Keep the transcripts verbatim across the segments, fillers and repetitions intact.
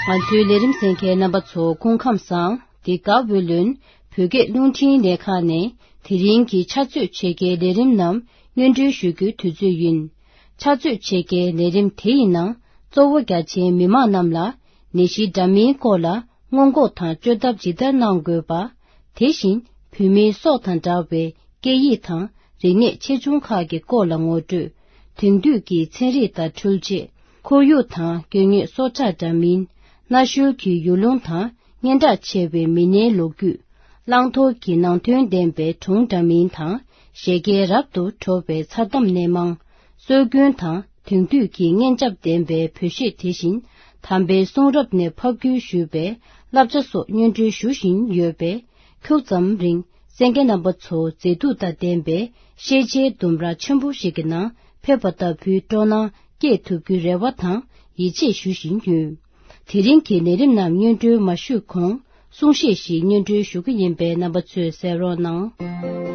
ང་ཚོའི་ལས་རིམ་གསན་མཁན་རྣམ་པ་ཚོ་སྐུ་ཁམས་བཟང་། འདི་ག་ཝེ་ལོན་བོད་སྐད་རླུང་འཕྲིན་ལས་ཁང་ནས་དེ་རིང་གི་ཕྱག་ཚོད་ཕྱེད་ཀའི་ལས་རིམ་རྣམས་སྙན་སྒྲོན་ཞུ་རྒྱུའི་དུས་ཚོད་ཡིན། ཕྱག་ཚོད་ཕྱེད་ཀའི་ལས་རིམ་དེ་ཡི་ནང་གཙོ་བོ་རྒྱ་ཆེའི་མི་མང་རྣམས་ལ་ནད་གཞི་འདྲ་མིན་སྐོར་ལ་སྔོན་འགོག་དང་བཅོས་ཐབས་ཇི་ལྟར་གནང་དགོས་པ། དེ་བཞིན་བོད་མིའི་སྲོག་དང་འདྲ་བའི་སྐད་ཡིག་དང་རིག་གནས་ཆེ་ཆུང་ཁག་གི་སྐོར་ལ་ངོ་སྤྲོད། དེང་དུས་ཀྱི་ཚན་རིག་དང་འཕྲུལ་ཆས། ཁོར་ཡུག་དང་དཀོན་གཉེར་སྲོག་ཆགས་འདྲ་མིན། གནའ་ཤུལ་གྱི་ཡུལ་ལུང་དང་སྙན་གྲགས་ཆེ་བའི་མི་སྣའི་ལོ་རྒྱུས། བླང་དོར་གྱི་ནང་དོན་ལྡན་པའི་སྒྲུང་འདྲ་མིན་དང་བཞད་གད་རབ་ཏུ་བྲོ་བའི་མཚར་གཏམ་སྣེ་མང་། སྲོལ་རྒྱུན་དང་དེང་དུས་ཀྱི་སྙན་འཇེབས་ལྡན་པའི་བོད་གཞས། དེ་བཞིན་དམ་པའི་གསུང་རབ་ནས་ཕབ་བསྒྱུར་ཞུས་པའི་བསླབ་བྱ་སོགས་སྙན་སྒྲོན་ཞུ་བཞིན་ཡོད་པས། ཁྱུག་ཙམ་རིང་གསན་མཁན་རྣམ་པ་ཚོ་མཛེས་སྡུག་དང་ལྡན་པའི་ཤེས་བྱའི་ལྡུམ་ར་ཆེན་པོ་ཞིག་གི་ནང་ཕེབས་པ་ལྟ་བུའི་སྤྲོ་སྣང་སྐྱེས་ཐུབ་རྒྱུའི་རེ་བ་དང་ཡིད་ཆེས་ཞུ་བཞིན་ཡོད། དེ་རིང་གི་ལས་རིམ་རྣམས་སྙན་སྒྲོན་མ་ཞུས་གོང་གསུང་བཤད་ཞིག་སྙན་སྒྲོན་ཞུ་གི་ཡིན་པས་རྣམ་པ་ཚོས་གསན་རོགས་གནང་།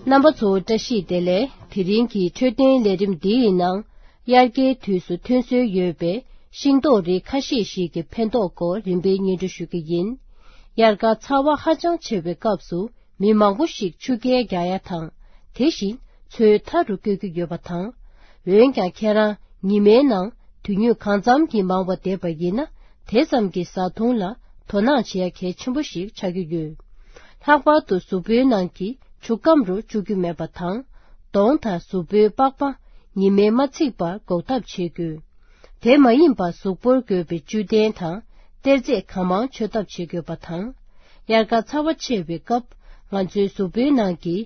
རྣམ་པ་ཚོ་བཀྲ་ཤིས་བདེ་ལེགས། དེ་རིང་གི་འཕྲོད་བསྟེན་ལས་རིམ་འདིའི་ནང་། དབྱར་ཁའི་དུས་སུ་ཐོན་སྲོལ་ཡོད་པའི་ཤིང་ཏོག་རིགས་ཁ་ཤས་ཤིག་གི་ཕན་ཐོགས་སྐོར་རིམ་པས་སྙན་སྒྲོན་ཞུ་གི་ཡིན། དབྱར་ཁ་ཚ་བ་ཧ་ཅང་ཆེ་བའི་སྐབས་སུ། མི་མང་པོ་ཞིག་ཆུ་རྐྱལ་རྒྱག་ཡ་དང་། དེ་བཞིན་མཚོའི་མཐའ་རུ་བསྐྱོད་ཀྱི་ཡོད་པ་དང་། འོན་ཀྱང་ཁྱེད་རང་ཉི་མའི་ནང་དུས་ཡུན་གང་འཚམ་གྱིས་མང་བ་བསྡད་པ་ཡིན་ན། དེ་ཙམ་གྱིས་བཟའ་བཏུང་ལ་དོ་སྣང་བྱེད་ཡ་གལ་ཆེན་པོ་ཞིག་ཆགས་ཀྱི་ཡོད། ལྷག་པར་དུ་གཟུགས་པོའི་ནང་གི་ཆུ་སྐམ་རུ་བཅུག་རྒྱུ་མེད་པ་དང་། གདོང་དང་གཟུགས་པོའི་པགས་པ་ཉི་མས་མ་འཚིག་པར་འགོག་ཐབས་བྱེད་དགོས། དེ་མ་ཡིན་པར་གཟུགས་པོར་དགོས་པའི་བཅུད་ལྡན་དང་གཏེར་རྫས་གང་མང་མཆོད་ཐབས་བྱེད་དགོས་པ་དང་། དབྱར་ཁ་ཚ་བ་ཆེ་བའི་སྐབས། ང་ཚོའི་གཟུགས་པོའི་ནང་གི་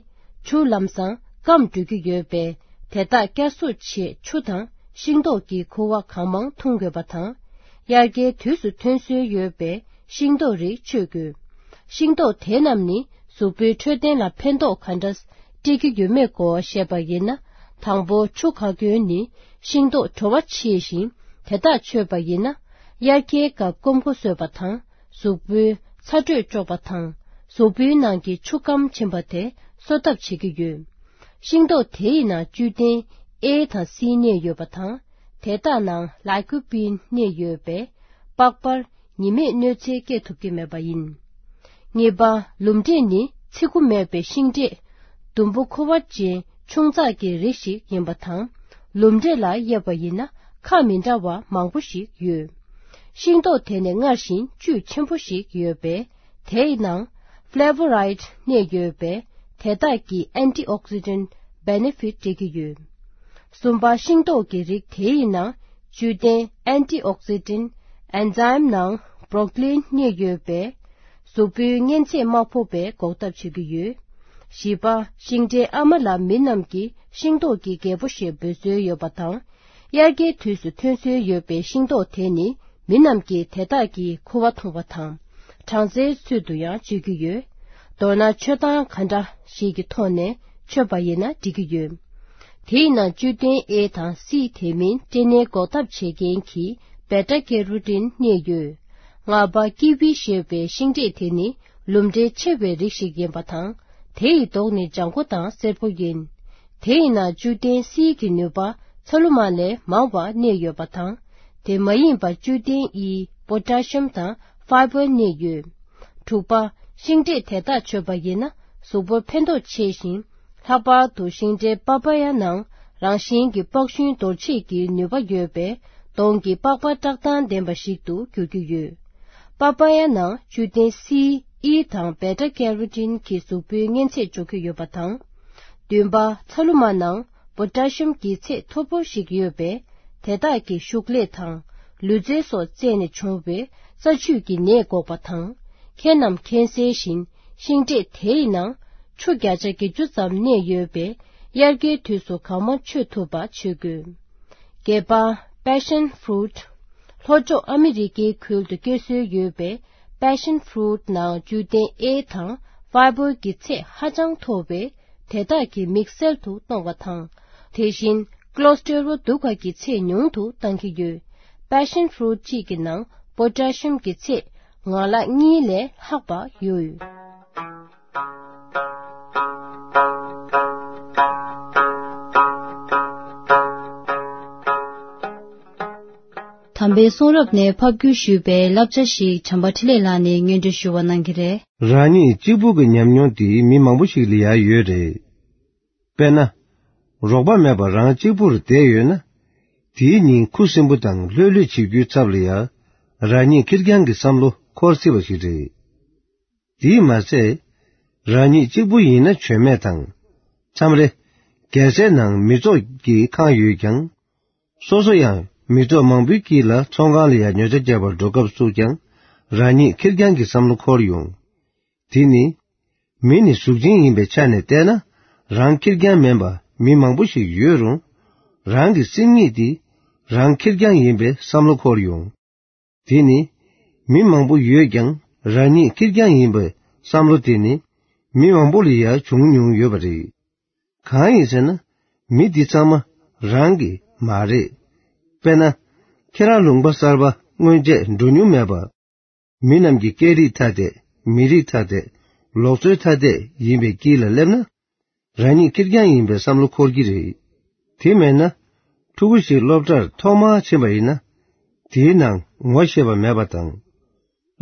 ཆུ་ལམ་སང་སྐམ་འགྲོ་གི་ཡོད་པས། དེ་དག་བསྐྱར་གསོ་ཆེད་ཆུ་དང་ཤིང་ཏོག་གི་ཁུ་བ་གང་མང་འཐུང་དགོས་པ་དང་། དབྱར་ཁའི་དུས་སུ་ཐོན་སྲོལ་ཡོད་པའི་ཤིང་ཏོག་རིགས་མཆོད་དགོས། ཤིང་ཏོག་དེ་རྣམས་ནི་གཟུགས་པོའི་འཕྲོད་བསྟེན་ལ་ཕན་ཐོགས་ག་འདྲ་སྤྲད་ཀྱི་ཡོད་མེད་སྐོར་བཤད་པ་ཡིན་ན། དང་པོ་ཆུ་ཁ་སྐྱོན་ནི་ཤིང་ཏོག་བྲོ་བ་ཆེ་ཞིང་། དེ་དག་མཆོད་པ་ཡིན་ན། དབྱར་ཁའི་སྐབས་སྐོམ་ཁུ་གསོད་པ་དང་། གཟུགས་པོའི་ཚ་དྲོད་གཅོག་པ་དང་། གཟུགས་པོའི་ནང་གི་ཆུ་སྐམ་ཕྱིན་པ་དེ་གསོ་ཐབས་བྱེད་ཀྱི་ཡོད། ཤིང་ཏོག་དེ་ཡི་ནང་བཅུད་ལྡན་ཨེ་དང་སི་གནས་ཡོད་པ་དང་། དེ་དག་ནང་ལའི་ཀོ་པིན་གནས་ཡོད་པས། པགས་པར་ཉི་མས་གནོད་འཚེ་སྐྱེལ་ཐུབ་ཀྱི་མེད་པ་ཡིན། གཉིས་པ། ལུམ་འབྲས་ནི་ཚི་གུ་མེད་པའི་ཤིང་འབྲས། ཟླུམ་པོ་ཁུ་བ་ཅན་ཆུང་ཙག་གི་རིགས་ཤིག་ཡིན་པ་དང་། ལུམ་འབྲས་ལ་དབྱེ་བ་ཡིན་ན་ཁ་མི་འདྲ་བ་མང་པོ་ཞིག་ཡོད། ཤིང་ཏོག་དེ་ནི་སྔར་བཞིན་བཅུད་ཆེན་པོ་ཞིག་ཡོད་པས། དེའི་ནང་ཕ་ལེ་བོ་རའིཌ་གནས་ཡོད་པས། དེ་དག་གིས་ཨན་ཊི་ཨོག་སི་ཌེན་ཊི་བེ་ནེ་ཕིཊ་སྤྲད་ཀྱི་ཡོད། གསུམ་པ། ཤིང་ཏོག་གི་རིགས་དེའི་ནང་བཅུད་ལྡན་ཨན་ཊི་ཨོག་སི་ཌེན་ཊི་ཨེན་ཛའིམ་ནང་བྷོ་རོ་ཀ་ལིན་གནས་ཡོད་པས། གཟུགས་པོའི་གཉན་ཚད་མ་ཕོག་པའི་འགོག་ཐབས་བྱེད་ཀྱི་ཡོད། བཞི་པ། ཤིང་འབྲས་ཨ་མ་ལ་མི་རྣམས་ཀྱིས་ཤིང་ཏོག་གི་རྒྱལ་པོ་ཞེས་འབོད་སྲོལ་ཡོད་པ་དང་། དབྱར་ཁའི་དུས་སུ་ཐོན་སྲོལ་ཡོད་པའི་ཤིང་ཏོག་དེ་ནི། མི་རྣམས་ཀྱིས་དེ་དག་གི་ཁུ་བ་འཐུང་བ་དང་། སྦྲང་རྩིའི་ཚུལ་དུ་ཡང་སྤྱོད་ཀྱི་ཡོད། མདོར་ན་མཆོད་སྟངས་ག་འདྲ་ཞིག་གི་ཐོག་ནས་མཆོད་པ་ཡིན་ན་འགྲིག་གི་ཡོད། དེའི་ནང་བཅུད་ལྡན་ཨེ་དང་སི། དེ་མིན་སྐྲན་ནད་འགོག་ཐབས་བྱེད་མཁན་གྱི་བེ་ཊ་ཀེ་རོ་ཊིན་གནས་ཡོད། ལྔ་པ། ཀི་ཝི་ཞེས་པའི་ཤིང་འབྲས་དེ་ནི་ལུམ་འབྲས་ཆེ་བའི་རིགས་ཤིག་ཡིན་པ་དང་། དེ་ཡི་མདོག་ནི་ལྗང་ཁུ་དང་སེར་པོ་ཡིན། དེ་ཡི་ནང་བཅུད་ལྡན་སིའི་ནུས་པ་ཚ་ལུ་མ་ལས་མང་བ་གནས་ཡོད་པ་དང་། དེ་མ་ཡིན་པར་བཅུད་ལྡན་ཨི། པོ་ཊ་ཤི་ཡམ་དང་ཕའི་བར་གནས་ཡོད། དྲུག་པ། ཤིང་འབྲས་དེ་དག་མཆོད་པ་ཡིན་ན་གཟུགས་པོར་ཕན་ཐོགས་ཆེ་ཞིང་། ལྷག་པར་དུ་ཤིང་འབྲས་པ་པ་ཡ་ནང་རང་བཞིན་གྱི་པགས་ཤུན་འདོར་བྱེད་ཀྱི་ནུས་པ་ཡོད་པས། གདོང་གི་པགས་པ་བཀྲག་མདངས་ལྡན་པ་ཞིག་ཏུ་འགྱུར་གྱི་ཡོད། པ་པ་ཡ་ནང་བཅུད་ལྡན་སི། ཨི་དང་བེ་ཊ་ཀེ་རོ་ཊིན་གྱིས་གཟུགས་པོའི་གཉན་ཚད་གཅོག་གི་ཡོད་པ་དང་། བདུན་པ། ཚ་ལུ་མ་ནང་པོ་ཊ་ཤི་ཡམ་གྱི་ཚད་མཐོ་པོ་ཞིག་ཡོད་པས། དེ་དག་གིས་ཤུགས་ལས་དང་ལུས་རྩལ་སོགས་རྩད་ནས་བྱུང་བའི་རྩ་ཆུས་ཀྱི་ནད་འགོག་པ་དང་། མཁལ་རྣམས་མཁལ་སེལ་ཞིང་། ཤིང་འབྲས་དེའི་ནང་ཆུ་བརྒྱ་ཆ་བརྒྱད་ཅུ་ཙམ་གནས་ཡོད་པས། དབྱར་ཁའི་དུས་སུ་གང་མང་མཆོད་ཐུབ་པ་བྱེད་དགོས། བརྒྱད་པ། པེ་ཤན་ཕུ་རུ་ཊི། ལྷོ་ཕྱོགས་ཨ་མི་རི་ཀའི་ཁུལ་དུ་སྐྱེ་སྲོལ་ཡོད་པའི་པེ་ཤན་ཕུ་རུ་ཊི་ནང་བཅུད་ལྡན་ཨེ་དང་ཕའི་བར་གྱི་ཚད་ཧ་ཅང་མཐོ་བས། དེ་དག་གིས་མིག་གསལ་དུ་གཏོང་བ་དང་། དེ་བཞིན་ཀོ་ལེ་སི་ཊེ་རོལ་སྡུག་པ་གི་ཚད་ཉུང་དུ་གཏང་གི་ཡོད། པེ་ཤན་ཕུ་རུ་ཊི་གཅིག་གི་ནང་པོ་ཊ་ཤི་ཡམ་གྱི་ཚད་ངང་ལག་གཉིས་ལས་ལྷག་པ་ཡོད། དམ་པའི་གསུང་རབ་ནས་ཕབ་བསྒྱུར་ཞུས་པའི་བསླབ་བྱ་ཞིག་བྱམས་པ་འཕྲིན་ལས་ལགས་ནས་སྙན་སྒྲོན་ཞུ་བ་གནང་གི་རེད། རང་ཉིད་གཅིག་པུ་གི་ཉམས་མྱོང་དེ་མི་མང་པོ་ཞིག་ལ་ཡང་ཡོད་རེད། དཔེར་ན། རོགས་པ་མེད་པར་རང་གཅིག་པུར་བསྡད་ཡོད་ན། དེའི་ཉིན་ཁུ་སིམ་པོ་དང་ལྷོད་ལྷོད་བྱེད་རྒྱུའི་ཚབ་ལ་ཡང་། རང་ཉིད་ཁེར་རྐྱང་གི་བསམ་བློ་འཁོར་སྲིད་པ་ཞིག་རེད། དེས་མ་ཚད། རང་ཉིད་གཅིག་པུ་ཡིན་ན་བྱོན་མེད་དང་། མཚམས་རེ། རྒྱལ་སའི་ནང་མི་ཚོགས་ཀྱིས་ཁེངས་ཡོད་ཀྱང་། སོ་སོ་ཡང་མི་ཚོགས་མང་པོའི་དཀྱིལ་ལ་ཚོང་ཁང་ལ་ཡང་ཉོ་ཆ་རྒྱག་པར་འགྲོ་སྐབས་སུ་ཀྱང་། རང་ཉིད་ཁེར་རྐྱང་གི་བསམ་བློ་འཁོར་ཡོང་། དེ་ནི། མི་ནི་གཟུགས་ཅན་ཡིན་པའི་ཆ་ནས་བལྟས་ན། རང་ཁེར་རྐྱང་མིན་པ་མི་མང་པོ་ཞིག་ཡོད་རུང་། རང་གི་སེམས་ཉིད་དེ། རང་ཁེར་རྐྱང་ཡིན་པའི་བསམ་བློ་འཁོར་ཡོང་། དེ་ནི། མི་མང་པོ་ཡོད་ཀྱང་། རང་ཉིད་ཁེར་རྐྱང་ཡིན་པའི་བསམ་བློ་དེ་ནི། མི་མང་པོ་ལ་ཡང་བྱུང་མྱོང་ཡོད་པ་རེད། གང་ཡིན་ཟེར་ན། མི་འདི་ཚང་མ་རང་གི་མ་རེད། དཔེར་ན། ཁྱེད་རང་ལུང་པ་གསར་པ་སྔོན་ཆད་འགྲོ་མྱོང་མེད་པ། མི་རྣམས་ཀྱི་སྐད་རིགས་ཐ་དད། མི་རིགས་ཐ་དད། ལུགས་སྲོལ་ཐ་དད་ཡིན་པའི་དཀྱིལ་ལ་སླེབས་ན། རང་ཉིད་ཁེར་རྐྱང་ཡིན་པའི་བསམ་བློ་འཁོར་གྱི་རེད། དེ་མེད་ན། ཕྲུ་གུ་ཞིག་སློབ་གྲྭར་ཐོག་མར་ཕྱིན་པ་ཡིན་ན། དེའི་ནང་ངོ་ཤེས་པ་མེད་པ་དང་།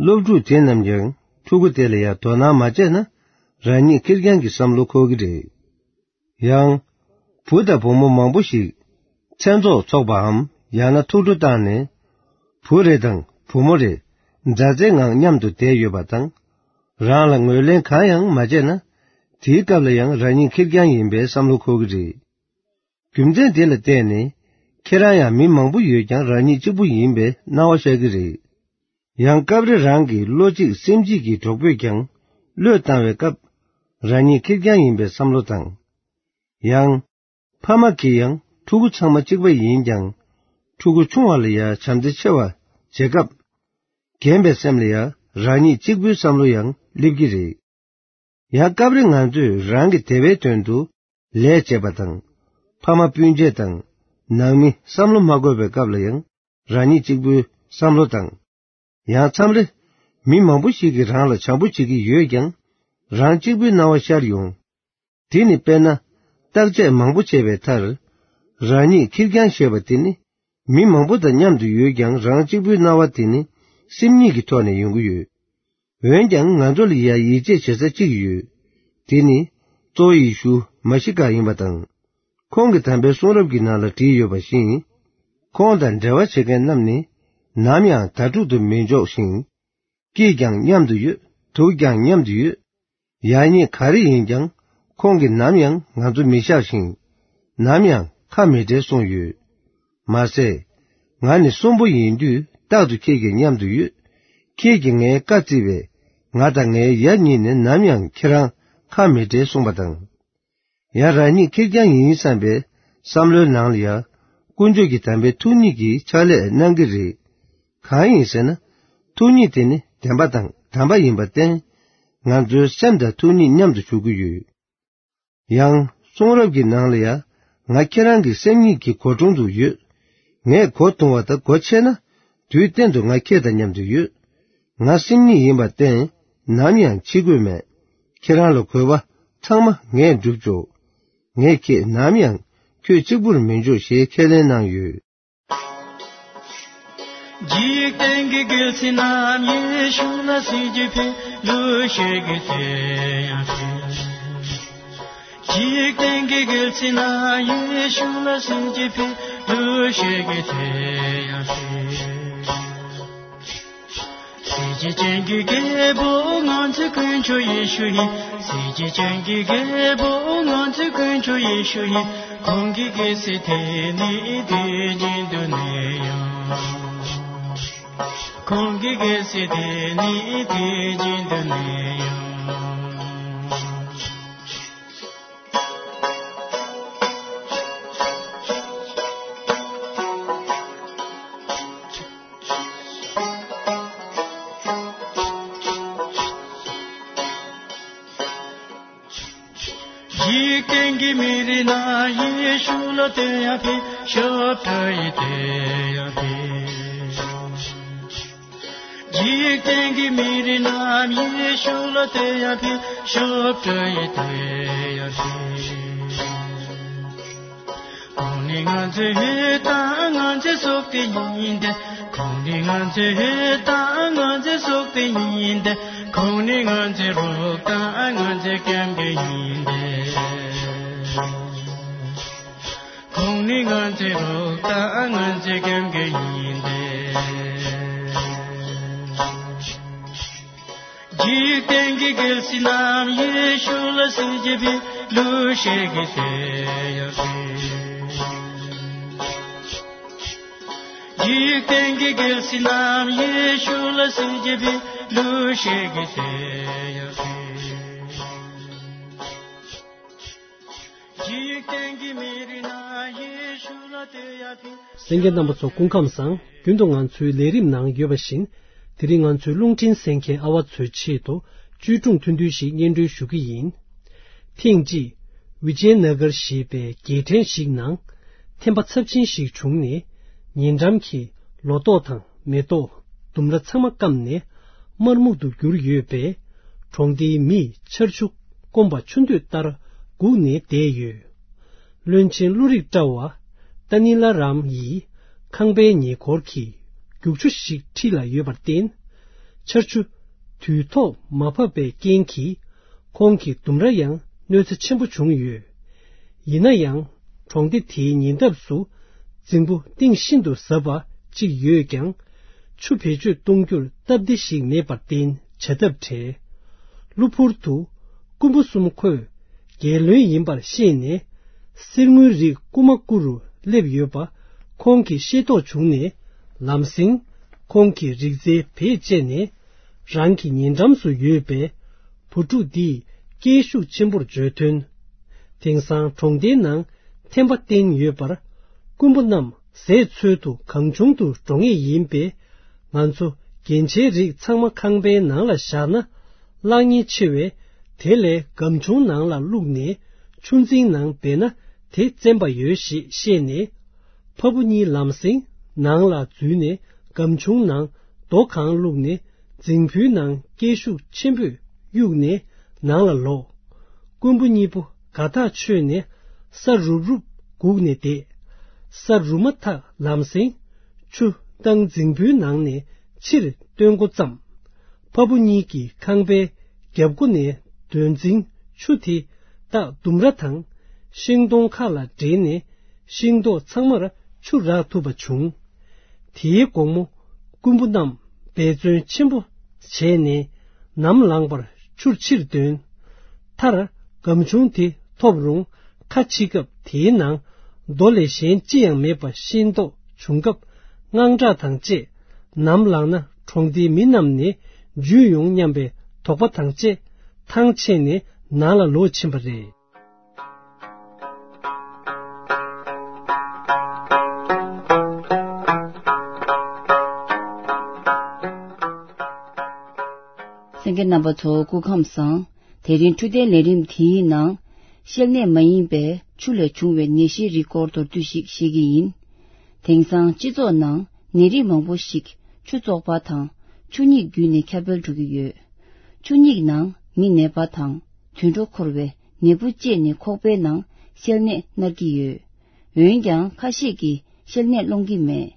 སློབ་ཕྲུག་དེ་རྣམས་ཀྱང་ཕྲུ་གུ་དེ་ལ་ཡང་དོ་སྣང་མ་བྱས་ན། རང་ཉིད་ཁེར་རྐྱང་གི་བསམ་བློ་འཁོར་གྱི་རེད། ཡང་། བུ་དང་བུ་མོ་མང་པོ་ཞིག་མཚན་ཚོགས་འཚོགས་པའམ། ཡང་ན་ཐུགས་སྤྲོ་བཏང་ནས། བུ་རེ་དང་བུ་མོ་རེ། མཛའ་བརྩེའི་ངང་མཉམ་དུ་བསྡད་ཡོད་པ་དང་། རང་ལ་ངོས་ལེན་གང་ཡང་མ་བྱས་ན། དེའི་སྐབས་ལ་ཡང་རང་ཉིད་ཁེར་རྐྱང་ཡིན་པའི་བསམ་བློ་འཁོར་གྱི་རེད། རྒྱུ་མཚན་དེ་ལ་བརྟེན་ནས། ཁྱེད་རང་ཡང་མི་མང་པོ་ཡོད་ཀྱང་རང་ཉིད་གཅིག་པུ་ཡིན་པའི་སྣང་བ་ཤར་གྱི་རེད། ཡང་སྐབས་རེ་རང་གི་བློ་གཅིག་སེམས་གཅིག་གི་གྲོགས་པོས་ཀྱང་བློས་བཏང་བའི་སྐབས། རང་ཉིད་ཁེར་རྐྱང་ཡིན་པའི་བསམ་བློ་དང་། ཡང་། ཕ་མ་གིས་ཡང་ཕྲུ་གུ་ཚང་མ་གཅིག་པ་ཡིན་ཀྱང་། ཕྲུ་གུ་ཆུང་བ་ལ་ཡང་བྱམས་བརྩེ་ཆེ་བ་བྱེད་སྐབས། རྒན་པའི་སེམས་ལ་ཡང་རང་ཉིད་གཅིག་པུའི་བསམ་བློ་ཡང་སླེབས་ཀྱི་རེད། ཡང་སྐབས་རེ་ང་ཚོས་རང་གི་བདེ་བའི་དོན་དུ་ལས་བྱེད་པ་དང་། ཕ་མ་སྤུན་མཆེད་དང་། ནང་མི་བསམ་བློ་མ་འཁོར་བའི་སྐབས་ལ་ཡང་རང་ཉིད་གཅིག་པུའི་བསམ་བློ་དང་། ཡང་མཚམས་རེ། མི་མང་པོ་ཞིག་གིས་རང་ལ་བྱམས་པོ་བྱེད་ཀྱི་ཡོད་ཀྱང་། རང་གཅིག་པུའི་སྣང་བ་ཤར་ཡོང་། དེ་ནི་དཔེར་ན། བརྟག་དཔྱད་མང་པོ་བྱས་པའི་མཐར། རང་ཉིད་ཁེར་རྐྱང་ཞེས་པ་དེ་ནི། མི་མང་པོ་དང་མཉམ་དུ་ཡོད་ཀྱང་རང་གཅིག་པུའི་སྣང་བ་དེ་ནི། སེམས་ཉིད་ཀྱི་ཐོག་ནས་ཡོང་གི་ཡོད། འོན་ཀྱང་ང་ཚོ་ལ་ཡང་ཡིད་ཆེས་བྱེད་ས་གཅིག་ཡོད། དེ་ནི། གཙོ་བོ་ཡེ་ཤུ་མ་ཤི་ཀ་ཡིན་པ་དང་། ཁོང་གིས་དམ་པའི་གསུང་རབ་ཀྱི་ནང་ལ་བྲིས་ཡོད་པ་བཞིན། ཁོང་དང་འབྲེལ་བ་བྱེད་མཁན་རྣམས་ནི། ནམ་ཡང་དྭ་ཕྲུག་ཏུ་མི་འཇོག་ཞིང་། སྐྱིད་ཀྱང་མཉམ་དུ་ཡོད། སྡུག་ཀྱང་མཉམ་དུ་ཡོད། ཡག་ཉེས་ག་རེ་ཡིན་ཀྱང་། ཁོང་གིས་ནམ་ཡང་ང་ཚོ་མི་བཞག་ཞིང་། ནམ་ཡང་ཁ་མི་འབྲལ་གསུངས་ཡོད། མ་ཟད། ང་ནི་གསོན་པོ་ཡིན་དུས་རྟག་ཏུ་ཁྱེད་ཀྱི་མཉམ་དུ་ཡོད། ཁྱེད་ཀྱིས་ངའི་བཀའ་བརྩིས་པས། ང་དང་ངའི་ཡབ་གཉིས་ནི་ནམ་ཡང་ཁྱེད་རང་ཁ་མི་འབྲལ་གསུངས་པ་དང་། ཡང་རང་ཉིད་ཁེར་རྐྱང་ཡིན་བསམ་པའི་བསམ་བློའི་ནང་ལ་ཡང་། དཀོན་མཆོག་གི་དམ་པའི་ཐུགས་ཉིད་ཀྱི་ཕྱག་ལས་གནང་གི་རེད། གང་ཡིན་ཟེར་ན། ཐུགས་ཉིད་དེ་ནི་བདེན་པ་དང་དམ་པ་ཡིན་པར་བརྟེན། ང་ཚོའི་སེམས་དང་ཐུགས་ཉིད་མཉམ་དུ་བཞུགས་ཀྱི་ཡོད། ཡང་གསུང་རབ་ཀྱི་ནང་ལ་ཡང་། ང་ཁྱེད་རང་གི་སེམས་ཉིད་ཀྱི་སྒོ་དྲུང་དུ་ཡོད། ངས་སྒོ་རྡུང་བ་དང་སྒོ་ཕྱེ་ན། དུས་གཏན་དུ་ང་ཁྱེད་དང་མཉམ་དུ་ཡོད། ང་སེམས་ཉིད་ཡིན་པར་བརྟེན། ནམ་ཡང་འཆི་དགོས་མེད། ཁྱེད་རང་ལ་དགོས་པ་ཚང་མ་ངས་བསྒྲུབ་ཆོག། ངས་ཁྱེད་ནམ་ཡང་ཁྱོད་གཅིག་པུར་མི་འཇོག་ཞེས་ཁས་ལེན་གནང་ཡོད། འཇིག་རྟེན་གྱི་རྒྱལ་སྲིད་རྣམས་ཡེ་ཤུ་ལ་སྲིད་ཀྱི་ཕན་ལུས་ཤེས་ཀྱི་དེ་ཡང་ཕན། འཇིག་རྟེན་གྱི་རྒྱལ་སྲིད་རྣམས་ཡེ་ཤུ་ལ་སྲིད་ཀྱི་ཕན་ལུས་ཤེས་ཀྱི་དེ་ཡང་ཕན། སྲིད་ཀྱི་ཅན་གྱི་རྒྱལ་པོ་ང་ཚོའི་དཀོན་མཆོག་ཡེ་ཤུ་ཡིན། སྲིད་ཀྱི་ཅན་གྱི་རྒྱལ་པོ་ང་ཚོའི་དཀོན་མཆོག་ཡེ་ཤུ་ཡིན། ཁོང་གི་རྒྱལ་སྲིད་དེ་ནི་དེ་བཞིན་དུ་གནས་ཡོང་། ཁོང་གི་རྒྱལ་སྲིད་དེ་ནི་དེ་བཞིན་དུ་གནས་ཡོང་། འཇིག་རྟེན་གྱི་མི་རིགས་རྣམས་ཡེ་ཤུ་ལ་དེ་ཡང་ཕན། ཞབས་བྲོ་ཡི་དེ་ཡང་ཕན། འཇིག་རྟེན་གྱི་མི་རིགས་རྣམས་ཡེ་ཤུ་ལ་དེ་ཡང་ཕན། ཞབས་བྲོ་ཡི་དེ་ཡང་ཕན། ཁོང་ནི་ང་ཚོའི་འོད་དང་ང་ཚོའི་སྲོག་དེ་ཡིན་ཏེ། ཁོང་ནི་ང་ཚོའི་འོད་དང་ང་ཚོའི་སྲོག་དེ་ཡིན་ཏེ། ཁོང་ནི་ང་ཚོའི་རོགས་དང་ང་ཚོའི་སྐྱབས་མགོན་ཡིན་ཏེ། ནི་ང་ཚེ་རོགས་ད་ང་ཚེ་ཀེམ་ཀེ་ཡིན་ཏེ། འཇིག་རྟེན་གྱི་རྒྱལ་སྲིད་རྣམས་ཡེ་ཤུ་ལ་སྲིད་ཀྱི་བི་ལུ་ཤེ་གི་ཏེ་ཡ་ཤི། འཇིག་རྟེན་གྱི་རྒྱལ་སྲིད་རྣམས་ཡེ་ཤུ་ལ་སྲིད་ཀྱི་བི་ལུ་ཤེ་གི་ཏེ་ཡ་ཤི། འཇིག་རྟེན་གྱི་མི་རིགས་རྣམས་ཡེ་ཤུ་ལ་ཏེ་ཡ་ཕི། གསན་མཁན་རྣམ་པ་ཚོ་སྐུ་ཁམས་བཟང་། རྒྱུན་དུ་ང་ཚོའི་ལས་རིམ་ནང་ཡོད་པ་བཞིན། དེ་རིང་ང་ཚོའི་རླུང་འཕྲིན་གསན་མཁན་ཨ་བ་ཚོའི་ཆེད་དུ་བཅོས་སྒྲུང་ཐུང་ཐུང་ཞིག་སྙན་སྒྲོན་ཞུ་གི་ཡིན། ཐེངས་གཅིག་བི་ཇེ་ན་གར་ཞེས་པའི་རྒྱལ་ཕྲན་ཞིག་ནང་ཐན་པ་ཚབས་ཆེན་ཞིག་བྱུང་ནས། ཉེ་འགྲམ་གྱི་ལོ་ཏོག་དང་མེ་ཏོག་ལྡུམ་ར་ཚང་མ་སྐམ་ནས་དམར་སྨུག་ཏུ་གྱུར་ཡོད་པས། གྲོང་སྡེའི་མིས་ཆར་ཆུ་སྐོམ་པ་ཆུ་འདོད་ལྟར་སྒུག་ནས་བསྡད་ཡོད། བློན་ཆེན་བློ་རིག་བཀྲ་བ་ཏཱ་ནི་ལ་རམ་ཡིས་ཁང་པའི་ཉེ་འཁོར་གྱི་རྒྱུག་ཆུ་ཞིག་འཁྲིས་ལ་ཡོད་པར་བརྟེན། ཆར་ཆུ་དུས་ཐོག་མ་བབས་པའི་རྐྱེན་གྱིས། ཁོང་གི་ལྡུམ་ར་ཡང་གནོད་འཚེ་ཆེན་པོ་བྱུང་ཡོད། ཡིན་ན་ཡང་། གྲོང་སྡེ་དེའི་ཉེ་འདབས་སུ་རྫིང་བུ་གཏིང་ཤིན་ཏུ་ཟབ་པ་གཅིག་ཡོད་ཀྱང་། ཆུ་བེད་སྤྱོད་གཏོང་རྒྱུར་སྟབས་བདེ་ཞིག་མེད་པར་བརྟེན། བྱ་ཐབས་བྲལ། གློ་བུར་དུ་རྐུན་པོ་གསུམ་ཁོས་རྒྱལ་བློན་ཡིན་པར་ཤེས་ནས། གསེར་དངུལ་རིགས་རྐུ་མ་རྐུ་རུ་སླེབས་ཡོད་པ་ཁོང་གིས་ཤེས་རྟོགས་བྱུང་ནས། ལམ་སེང་ཁོང་གིས་རིག་རྩལ་བེད་སྤྱད་ནས། རང་གི་ཉེ་འགྲམ་དུ་ཡོད་པའི་བུ་ཕྲུག་འདིས་སྐད་ཤུགས་ཆེན་པོར་བརྗོད་དོན། དེང་སང་གྲོང་སྡེའི་ནང་ཐན་པ་བསྟན་ཡོད་པར། རྐུན་པོ་རྣམས་ཟས་འཚོལ་དུ་གང་བྱུང་དུ་འགྲོ་ངེས་ཡིན་པས། ང་ཚོ་རྒྱན་ཆའི་རིགས་ཚང་མ་ཁང་པའི་ནང་ལ་བཞག་ན་བརླག་ཉེན་ཆེ་བས། དེ་ལས་སྒམ་ཆུང་ནང་ལ་བླུགས་ནས་ཆུ་འཛིན་ནང་སྦས་ན་དེ་བཙན་པ་ཡོད་ཞེས་བཤད་ནས། ཕ་བུ་གཉིས་ལམ་སེང་ནང་ལ་འཛུལ་ནས། སྒམ་ཆུང་ནང་རྡོ་གང་བླུགས་ནས། རྫིང་བུའི་ནང་སྐད་ཤུགས་ཆེན་པོས་གཡུགས་ནས་ནང་ལ་ལོག། རྐུན་པོ་གཉིས་པོ་དགའ་ཐག་ཆོད་ནས་ས་རུབ་རུབ་སྒུག་ནས་བསྡད། ས་རུབ་མ་ཐག་ལམ་སེང་ཆུ་བཏང་རྫིང་བུའི་ནང་ནས་ཕྱིར་བཏོན་འགོ་བརྩམས། ཕ་བུ་གཉིས་ཀྱིས་ཁང་པའི་རྒྱབ་སྒོ་ནས་འདོན་རྫིང་ཆུ་དེ་བཏགས་ལྡུམ་ར་དང་ཤིང་སྡོང་ཁ་ལ་འདྲེས་ནས། ཤིང་ཏོག་ཚང་མར་ཆུ་རག་ཐུབ་པ་བྱུང་། དེའི་དགོང་མོ་རྐུན་པོ་རྣམས་འབད་བརྩོན་ཆེན་པོ་བྱས་ནས་ནམ་ལངས་པར་ཆུར་ཕྱིར་འདོན། མཐར་སྒམ་ཆུང་དེ་ཐོབ་རུང་ཁ་ཕྱི་སྐབས་དེའི་ནང་རྡོ་ལས་གཞན་ཅི་ཡང་མེད་པ་ཤེས་རྟོགས་བྱུང་སྐབས། དངངས་སྐྲག་དང་བཅས་ནམ་ལངས་ན་གྲོང་སྡེའི་མི་རྣམས་ནས་འཇུས་ཡོང་སྙམ་པའི་དོགས་པ་དང་བཅས་ཐང་ཆད་ནས་ནང་ལ་ལོག་ཕྱིན་པ་རེད། གསན་མཁན་རྣམ་པ་ཚོ་སྐུ་ཁམས་བཟང་། དེ་རིང་འཕྲོད་བསྟེན་ལས་རིམ་དེའི་ནང་། བཤལ་ནད་མ་ཡིན་པའི་ཆུ་ལས་བྱུང་བའི་ནད་གཞིའི་རིགས་སྐོར་མདོར་བསྡུས་ཤིག་བཤད་ཀྱི་ཡིན། དེང་སང་སྤྱི་ཚོགས་ནང་ནད་རིགས་མང་པོ་ཞིག་ཆུ་བཙོག་པ་དང་ཆུ་སྙིགས་བརྒྱུད་ནས་ཁྱབ་སྤེལ་འགྲོ་གི་ཡོད། ཆུ་སྙིགས་ནང་མི་ནད་པ་དང་དུད་འགྲོ་འཁོར་བའི་ནད་འབུ་སྐྱེས་ནས་ཁོག་པའི་ནང་བཤལ་ནད་མནར་གྱི་ཡོད། འོན་ཀྱང་ཁ་ཤས་ཀྱིས་བཤལ་ནད་སློང་གི་མེད།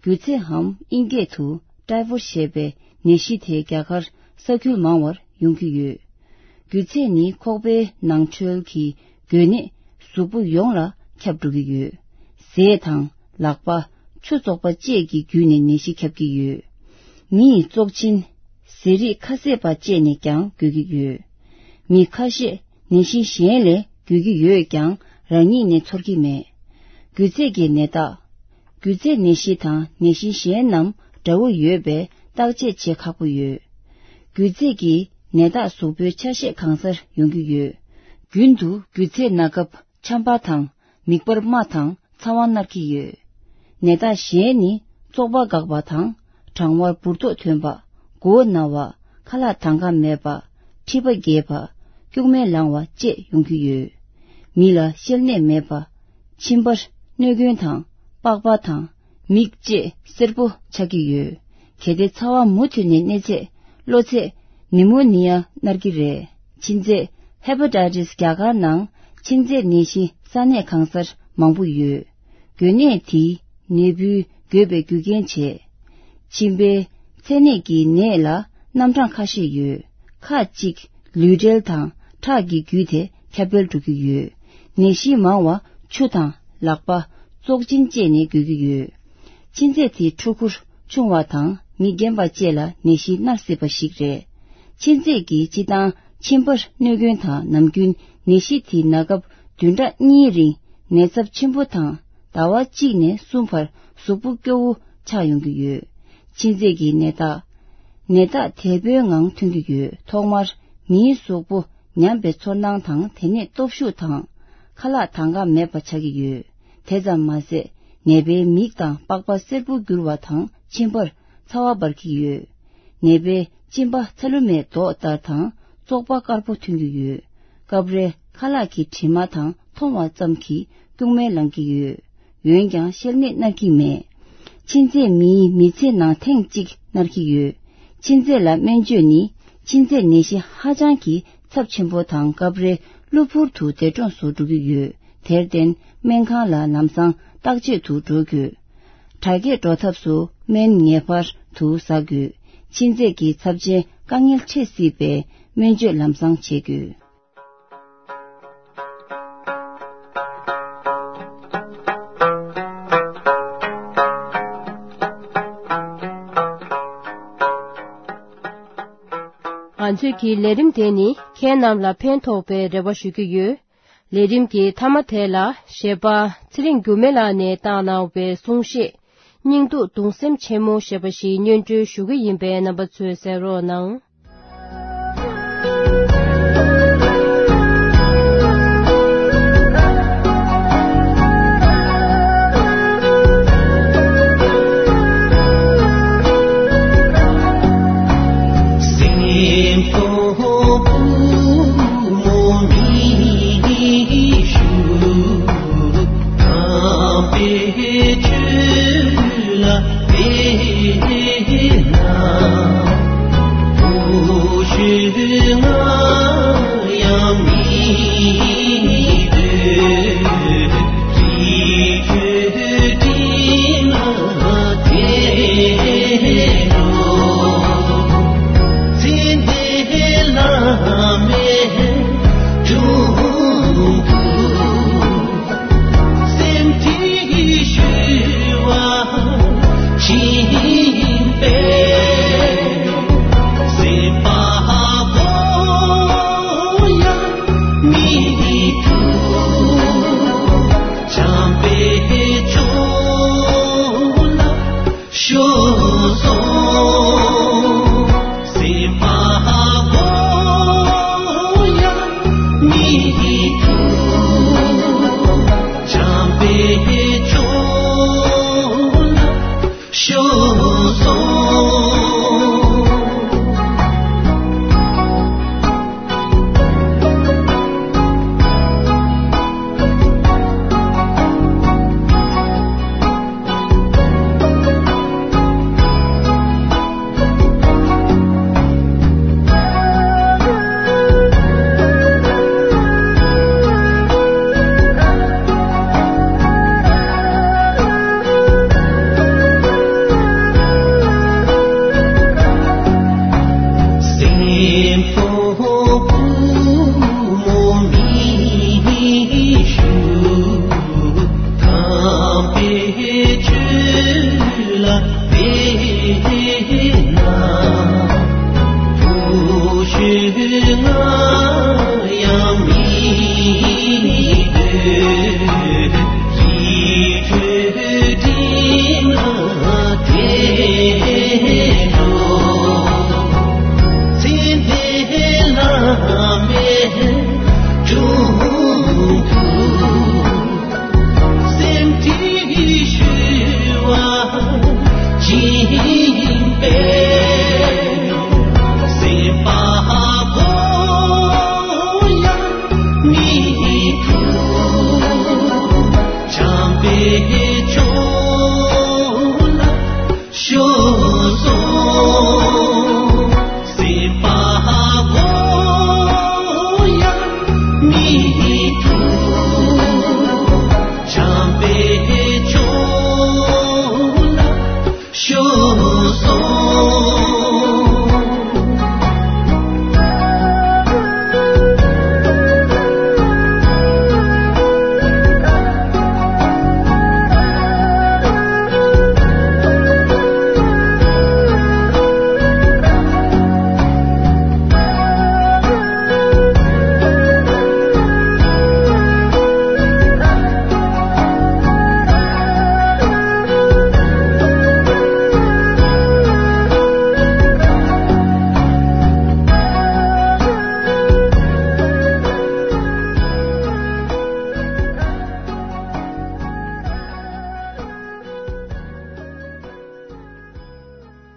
རྒྱུ་ཚད་འམ་དབྱིན་སྐད་དུ་ཊའི་ཕོཌ་ཞེས་པའི་ནད་གཞི་དེ་རྒྱ་གར་ས་ཁུལ་མང་བར་ཡོང་གི་ཡོད། རྒྱུ་ཚད་ནི་ཁོག་པའི་ནང་ཁྲོལ་གྱི་འགོས་ནད་གཟུགས་པོ་ཡོངས་ལ་ཁྱབ་འགྲོ་གི་ཡོད། ཟས་དང་ལག་པ་ཆུ་བཙོག་པ་བཅས་ཀྱི་བརྒྱུད་ནས་ནད་གཞི་ཁྱབ་ཀྱི་ཡོད། མི་ཡི་བཙོག་གཅིན་ཟས་རིགས་ཁ་ཟས་པ་བཅས་ནས་ཀྱང་འགོས་ཀྱི་ཡོད། མི་ཁ་ཤས་ནད་གཞི་གཞན་ལས་འགོས་ཀྱི་ཡོད་ཀྱང་རང་ཉིད་ནས་ཚོར་གྱི་མེད། རྒྱུ་ཚད་ཀྱི་ནད་རྟགས། རྒྱུ་ཚད་ནད་གཞི་དང་ནད་གཞི་གཞན་རྣམས་འདྲ་བོ་ཡོད་པས་བརྟག་དཔྱད་བྱེད་ཁག་པོ་ཡོད། རྒྱུ་ཚད་ཀྱི་ནད་རྟགས་གཟུགས་པོའི་ཆ་ཤས་གང་སར་ཡོང་གི་ཡོད། རྒྱུན་དུ་རྒྱུ་ཚད་ན་སྐབས་ཆམ་པ་དང་མིག་པར་རྨ་དང་ཚ་བ་མནར་གྱི་ཡོད། ནད་རྟགས་གཞན་ནི་བཙོག་པ་འགག་པ་དང་གྲང་བར་འབུར་ཏོག་ཐོན་པ། མགོ་བོ་ན་བ། ཁ་ལག་དང་ག་མེད་པ། མཁྲིས་པ་རྒྱས་པ། སྐྱུག་མེར་ལངས་པ་བཅས་ཡོང་གི་ཡོད། མི་ལ་བཤལ་ནད་མེད་པ། མཆིན་པར་གནོད་སྐྱོན་དང་པགས་པ་དང་མིག་བཅས་སེར་པོ་ཆགས་ཀྱི་ཡོད། གལ་ཏེ་ཚ་བ་མུ་མཐུད་ནས་གནས་ཚེ་གློ་ཚད་ནི་མོ་ནི་ཡ་མནར་གྱི་རེད། མཆིན་ཚད། ཧེ་པ་ཊའི་ཊིས། རྒྱ་གར་ནང་མཆིན་ཚད་ནད་གཞི་ས་གནས་གང་སར་མང་པོ་ཡོད། འགོས་ནད་དེས་ནད་འབུའི་འགོས་པའི་རྒྱུ་རྐྱེན་བྱས། མཆིན་པའི་ཚད་ནད་ཀྱི་ནད་ལ་རྣམ་གྲངས་ཁ་ཤས་ཡོད། ཁག་ཅིག་ལུས་འབྲེལ་དང་ཁྲག་གི་བརྒྱུད་དེ་ཁྱབ་སྤེལ་འགྲོ་གི་ཡོད། ནད་གཞི་མང་བ་ཆུ་དང་ལག་པ། བཙོག་གཅིན་བཅས་ནས་འགོས་ཀྱི་ཡོད། མཆིན་ཚད་དེ་ཕྲུ་གུར་ཆུང་བ་དང་མི་རྒན་པ་བཅས་ལ་ནད་གཞི་མནར་སྲིད་པ་ཞིག་རེད། མཆིན་ཚད་ཀྱིས་སྤྱི་བཏང་མཆིན་པར་གནོད་སྐྱོན་དང་ནམ་རྒྱུན་ནད་གཞི་དེ་ན་སྐབས་བདུན་ཕྲག་གཉིས་རིང་ནད་ཚབས་ཆེན་པོ་དང་ཟླ་བ་གཅིག་ནས་གསུམ་བར་གཟུགས་པོ་སྐྱོ་བོ་ཆགས་ཡོང་གི་ཡོད། མཆིན་ཚད་ཀྱི་ནད་རྟགས། ནད་རྟགས་དལ་པོའི་ངང་ཐོན་གྱི་ཡོད། ཐོག་མར་མིའི་གཟུགས་པོ་ཉམས་པའི་ཚོར་སྣང་དང་དེ་ནས་སྟོབས་ཤུགས་དང་། ཁ་ལག་དང་ག་མེད་པ་ཆགས་ཀྱི་ཡོད། དེ་ཙམ་མ་ཟད་ནད་པའི་མིག་དང་པགས་པ་སེར་པོ་འགྱུར་བ་དང་མཆིན་པར་ཚ་བ་འབར་གྱི་ཡོད། ནད་པའི་གཅིན་པ་ཚ་ལུ་མའི་མདོག་ལྟར་དང་བཙོག་པ་དཀར་པོ་ཐོན་གྱི་ཡོད། སྐབས་རེ་ཁ་ལག་གི་དྲི་མ་དང་མཐོང་བ་ཙམ་གྱིས་སྐྱུག་མེར་ལངས་ཀྱི་ཡོད། འོན་ཀྱང་བཤལ་ནད་མནར་གྱི་མེད། མཆིན་ཚད་མིའི་མི་ཚེ་ནང་ཐེངས་གཅིག་མནར་གྱི་ཡོད། མཆིན་ཚད་ལ་སྨན་བཅོས་ནི་མཆིན་ཚད་ནད་གཞི་ཧ་ཅང་གི་ཚབས་ཆེན་པོ་དང་སྐབས་རེ་གློ་བུར་དུ་འདས་གྲོངས་སུ་འགྲོ་གི་ཡོད། དེར་བརྟེན་སྨན་ཁང་ལ་ལམ་སང་བརྟག་དཔྱད་དུ་འགྲོ་དགོས། དྲག་སྐྱེད་འགྲོ་ཐབས་སུ་སྨན་ངེས་པར་དུ་ཟ་དགོས། མཆིན་ཚད་ཀྱི་ཚབས་ཆེན་དཀའ་ངལ་འཕྲད་སྲིད་པས་སྨན་བཅོས་ལམ་སང་བྱེད་དགོས། ང་ཚོའི་གི་ལས་རིམ་དེ་ནི་ཁྱེད་རྣམས་ལ་ཕན་ཐོགས་པའི་རེ་བ་ཞུ་གི་ཡོད། ལས་རིམ་གྱི་མཐའ་མ་དེ་ལ་གཞས་པ་ཚེ་རིང་འགྱུར་མེད་ལགས་ནས་བཏང་གནང་བའི་གསུང་བཤད། སྙིང་སྡུག་གདུང་སེམས་ཆེན་མོ་ཞེས་པ་ཞིག་སྙན་སྒྲོན་ཞུ་གི་ཡིན་པས་རྣམ་པ་ཚོས་གསན་རོགས་གནང་།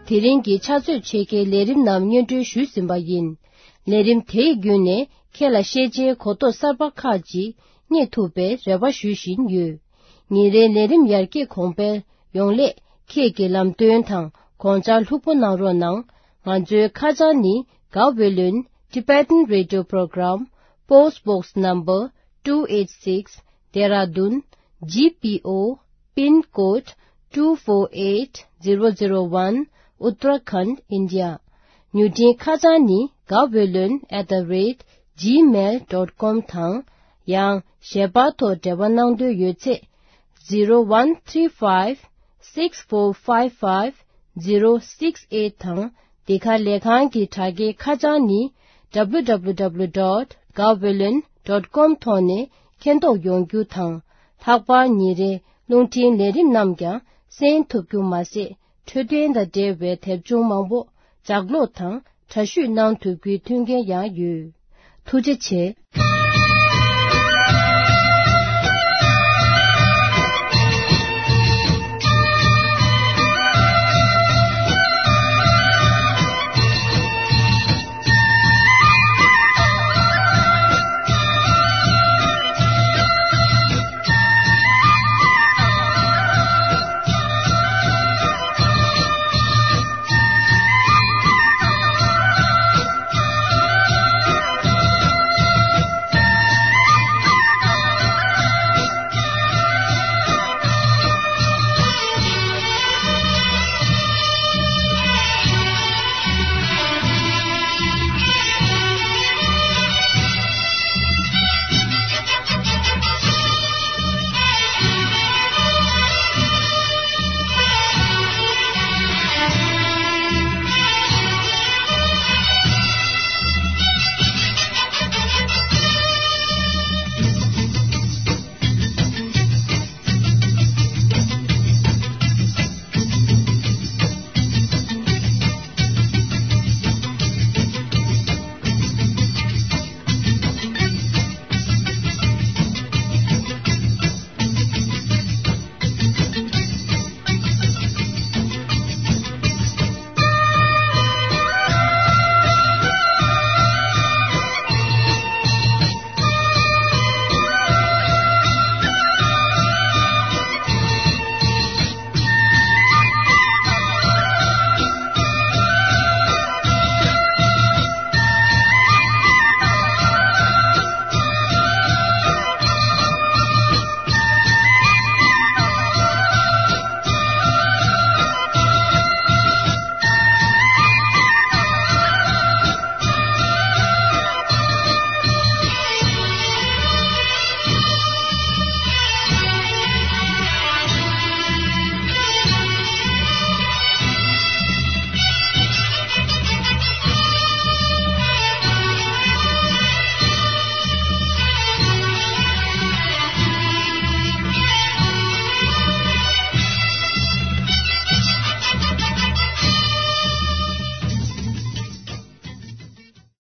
དེ་རིང་གི་ཕྱག་ཚོད་ཕྱེད་ཀའི་ལས་རིམ་རྣམས་སྙན་སྒྲོན་ཞུས་ཟིན་པ་ཡིན། ལས་རིམ་དེའི་བརྒྱུད་ནས་ཁྱེད་ལ་ཤེས་བྱའི་གོ་རྟོགས་གསར་པ་ཁག་ཅིག་རྙེད་ཐུབ་པའི་རེ་བ་ཞུ་བཞིན་ཡོད། ཉིན་རེའི་ལས་རིམ་ཡར་རྒྱས་གོང་འཕེལ་ཡོང་སླད་ཁྱེད་ཀྱི་ལམ་སྟོན་དང་དགོངས་འཆར་ལྷུག་པོ་གནང་རོགས་གནང་། ང་ཚོའི་ཁ་བྱང་ནི། Gaweylon Tibetan Radio Program, Post Box Number two eight six, Dehradun, G P O, Pin Code two four eight zero zero one, Uttarakhand, India. མྱུར་འཕྲིན་ཁ་བྱང་ནི། gaweylon at the rate gmail dot com དང་། ཡང་ཞལ་པར་ཐོག་འབྲེལ་བ་གནང་འདོད་ཡོད་ཚེ། zero one three five six four five five zero six eight དང་། འདི་ག་ལས་ཁང་གི་དྲ་རྒྱའི་ཁ་བྱང་ནི། W W W dot gaweylon dot com ཐོག་ནས་མཁྱེན་རྟོགས་ཡོང་རྒྱུ་དང་། ལྷག་པར་ཉིན་རེའི་རླུང་འཕྲིན་ལས་རིམ་རྣམས་ཀྱང་གསན་ཐུབ་རྒྱུ་མ་ཟད། འཕྲོད་བསྟེན་དང་འབྲེལ་བའི་དེབ་ཆུང་མང་པོ་ལྗགས་ཀློག་དང་འདྲ་བཤུས་གནང་ཐུབ་རྒྱུའི་མཐུན་རྐྱེན་ཡང་ཡོད། ཐུགས་རྗེ་ཆེ།